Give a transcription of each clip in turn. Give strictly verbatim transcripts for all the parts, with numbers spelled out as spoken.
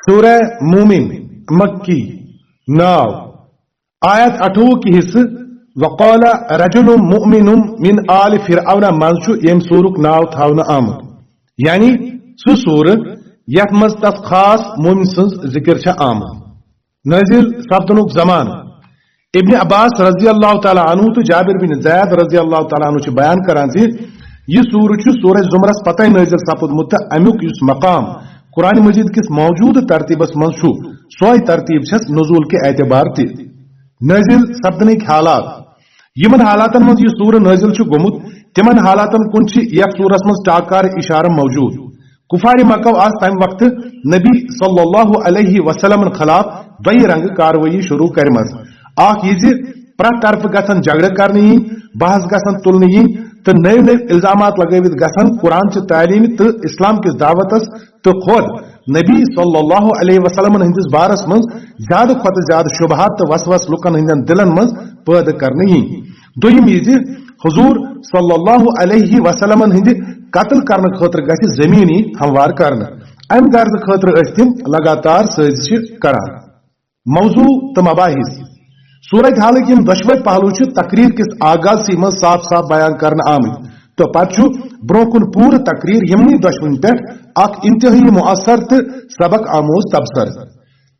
سورہ مومن، مکی، ناو، آیت اَٹھووُہ کہِ حصہٕ وقال رجل مؤمن من آل فرعون منٛز چھُ ییٚمہِ سورُک ناو تھاونہٕ آمُت، یعنی سُہ سورٕ یَتھ منٛز تَس خاص مومن سٕنٛز ذِکِر چھےٚ آمٕژ۔ نٲزِل سپدنُک زمانہٕ۔ ابن عباس رضی اللہ تعالیٰ عنہ تہٕ جابر بن زید رضی اللہ تعالیٰ عنہ چھِ بیان کران زِ یہِ سورٕ چھُ سورہ زمرس پتے نٲزِل سپُدمُت تہٕ اَمیُک یُس مقام قرآن مجید کِس موجودٕ ترتیٖبس منٛز چھُ، سۄے ترتیٖب چھَس نزول کہِ اعتبار تہِ۔ نٲزِل سپدنٕکۍ حالات۔ یِمن حالاتن منٛز یہِ سورٕ نٲزِل چھُ گوٚمُت، تِمن حالاتن کُن چھِ یتھ سورس منٛز ٹاکار اشارٕ موجود۔ کفار مکو آسہٕ تمہِ وقتہٕ نبی صلی اللہ علیہ وسلمن خلاف دۄیہِ رنگہٕ کاروٲیی شروع کرِمژ۔ اکھ یہِ زِ پرٛٮ۪تھ طرفہٕ گژھن جھگڑٕ کرنہٕ یِنۍ، بحث گژھن تُلنہٕ یِنۍ تہٕ نٔوۍ نٔوۍ الزامات لگٲوِتھ گژھن قرآن چہِ تعلیمہِ تہٕ اسلام کِس دعوتس تہٕ خود نبی صلی اللہ علیہ وسلمن ہٕنٛدِس بارس منٛز زیادٕ کھۄتہٕ زیادٕ شبہات تہٕ وسوس لوٗکن ہٕنٛدٮ۪ن دِلن منٛز پٲدٕ کرنہٕ یِنۍ۔ دوٚیِم یہِ زِ حضور صلی اللہ علیہ وسلمن ہٕنٛدِ قتل کرنہٕ خٲطرٕ گژھِ زمینی ہموار کرنہٕ۔ امہِ غرضہٕ خٲطرٕ ٲسۍ تِم لگاتار سٲزشہِ کران۔ موضوع تہٕ مباحث۔ صورت حالٕکۍ یِم دۄشوے پہلو چھِ تقریر کِس آغازسٕے منٛز صاف صاف بیان کرنہٕ آمٕتۍ تہٕ پتہٕ چھُ برونٛہہ کُن پوٗرٕ تقریر یِمنٕے دۄشوٕنۍ پٮ۪ٹھ اکھ انتہٲیی مؤثر تہٕ سبق آموز تبصرٕ۔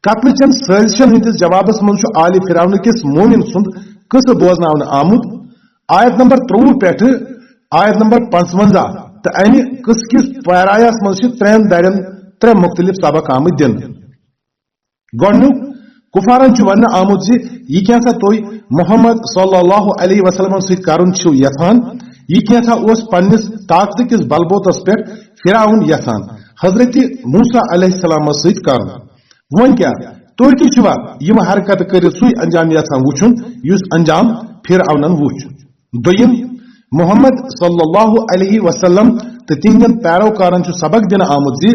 قتلہٕ چٮ۪ن سٲزشن ہٕنٛدِس جوابس منٛز چھُ آلِ فرعون کِس مومن سُنٛد قصہٕ بوزناونہٕ آمُت۔ آیت نمبر ترٛۆوُہ پٮ۪ٹھٕ آیت نمبر پانٛژونٛزاہ تہٕ امہِ قصہٕ کِس پیرایس منٛز چھِ ترٛٮ۪ن دَرٮ۪ن ترٛےٚ مُختٔلِف سبق آمٕتۍ دِنہٕ۔ گۄڈٕنیُک، کفارن چھُ وننہٕ آمُت زِ یہِ کینٛژھا تُہۍ محمد صلی اللہ علیہ وسلمس سۭتۍ کرُن چھِو یژھان، یہِ کینٛژھا اوس پننِس طاقتہٕ کِس بلبوتس پٮ۪ٹھ فرعون یژھان حضرت موسیٰ علیہ السلامس سۭتۍ کرُن۔ وۄنۍ کیٛاہ، تُہۍ تہِ چھِوا یِم حرکتہٕ کٔرِتھ سُے انجام یژھان وُچھُن یُس انجام فرعونن وُچھ؟ دوٚیِم، محمد صلی اللہ علیہ وسلم تہٕ تِہنٛدٮ۪ن پیروکارن چھُ سبق دِنہٕ آمُت زِ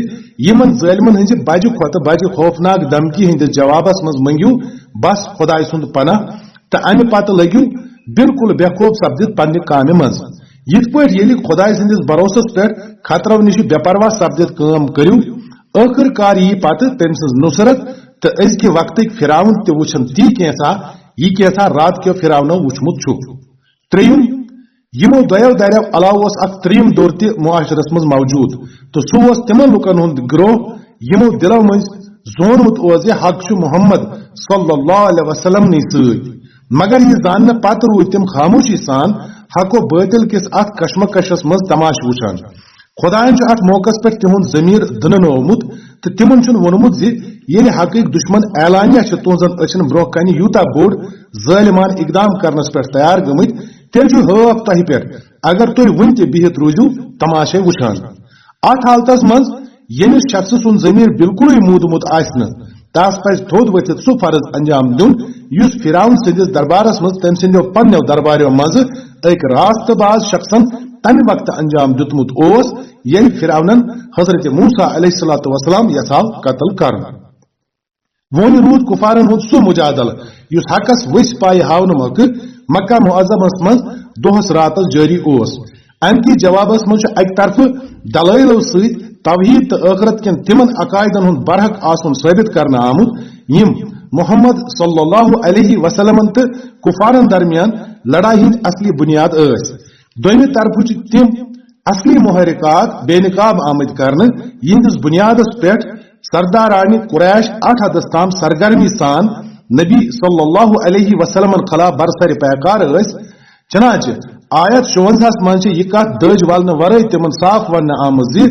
یِمن ظٲلمن ہٕنٛزِ بجہِ کھۄتہٕ بجہِ خوفناک دھمکی ہٕنٛدِس جوابس منٛز مٔنگِو بس خۄداے سُنٛد پناہ تہٕ امہِ پتہٕ لٔگِو بالکل بے خوف سپدِتھ پننہِ کامہِ منٛز۔ یِتھ پٲٹھۍ ییٚلہِ خۄداے سٕنٛدِس بھروسس پٮ۪ٹھ خطرو نِش بے پرواہ سپدِتھ کٲم کٔرِو، ٲخٕر کار یِیہِ پتہٕ تٔمۍ سٕنٛز نصرت تہٕ أزکہِ وقتٕکۍ فرعون تہِ وُچھن تی کینٛژھا، یہِ کینٛژھا راتھ کیو فرعونو وُچھمُت چھُ۔ ترٛیٚیِم، یِمو دۄیو دریو علاوٕ اوس اکھ ترٛیٚیِم دوٚر تہِ معاشرس منٛز موجود، تہٕ سُہ اوس تِمن لوٗکن ہُنٛد گروہ یِمو دِلو مٔنٛزۍ زونمُت اوس زِ حق چھُ محمد صلی اللہ علیہ وسلم نٕے سۭتۍ، مگر یہِ زاننہٕ پتہٕ روٗدۍ تِم خاموشی سان حق و باطل کِس اتھ کشمکشس منٛز تماشہٕ وُچھان۔ خۄدایَن چھُ اتھ موقعس پٮ۪ٹھ تِہُنٛد ضمیٖر دٕننوومُت تہٕ تِمن چھُن ووٚنمُت زِ ییٚلہِ حقٕکۍ دُشمن اعلانیہ چھِ تُہنٛزن أچھن برونٛہہ کنہِ یوٗتاہ بوٚڑ ظٲلمانہٕ اقدام کرنس پٮ۪ٹھ تیار گٔمٕتۍ، تیٚلہِ چھُ ہٲف تۄہہِ پٮ۪ٹھ، اگر تُہۍ وُنہِ تہِ بِہِتھ روٗزِو تماشے وُچھان۔ اتھ حالتس منٛز ییٚمِس شخصہٕ سُنٛد ضمیٖر بالکلٕے موٗدمُت آسہِ نہٕ، تس پزِ تھوٚد ؤتھِتھ سُہ فرض انجام دیُن، یُس فرعون سٕنٛدِس دربارس منٛز تٔمۍ سٕنٛدیو پننیو درباریو منٛزٕ أکۍ راست باز شخصن تمہِ وقتہٕ انجام دیُتمُت اوس، ییٚلہِ فرعونن حضرت موسیٰ علیہ الصلوۃ والسلام یژھاو قتل کرُن۔ وۄنۍ روٗد کفارن ہُنٛد سُہ مجادلہٕ، یُس حقس ؤسۍ پایہِ ہاونہٕ مۄکھٕ مکہ معظمس منٛز دۄہس راتس جٲری اوس۔ امہِ کِس جوابس منٛز چھُ اکہِ طرفہٕ دلٲیلو سۭتۍ توحید تہٕ ٲخرت کٮ۪ن تِمن عقائدن ہُنٛد برحق آسُن ثٲبت کرنہٕ آمُت، یِم محمد صلی اللہ علیہ وسلمن تہٕ کفارن درمیان لڑایہِ ہٕنٛدۍ اصلی بنیاد ٲسۍ۔ دوٚیمہِ طرفہٕ چھِ تِم اصلی محرکات بے نقاب آمٕتۍ کرنہٕ، یِہنٛدِس بنیادس پٮ۪ٹھ سردارانِ قریش اَٹھ حدس تام سرگرمی سان نبی صلی اللہ علیہ وسلمن خلاف برسر پیکار ٲسۍ۔ چنانچہ آیت شُونزاہس منٛز چھِ یہِ کتھ دٔج والنہٕ ورٲے تِمن صاف وننہٕ آمٕژ زِ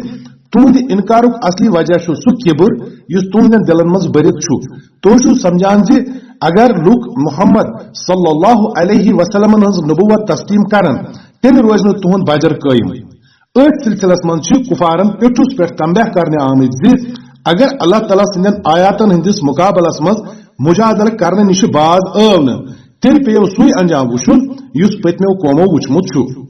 تُہنٛدِ انکارُک اصلی وجہ چھُ سُہ کِبُر یُس تُہنٛدٮ۪ن دِلن منٛز بٔرِتھ چھُ۔ تُہۍ چھِو سمجھان زِ اگر لوٗکھ محمد صلی اللہ علیہ وسلمن ہٕنٛز نبوت تسلیم کرن، تیٚلہِ روزِ نہٕ تُہنٛد بجر قٲیِم۔ أتھۍ سلسلس منٛز چھِ کفارن پیٚٹھُس پٮ۪ٹھ تنبیہ کرنہٕ آمٕتۍ زِ اگر اللہ تعالیٰ سٕنٛدٮ۪ن آیاتن ہٕنٛدِس مقابلس منٛز مجادلہٕ کرنہٕ نِش باز آو نہٕ، تیٚلہِ پیٚیو سُے انجام وُچھُن یُس پٔتمیو قومو وُچھمُت چھُ۔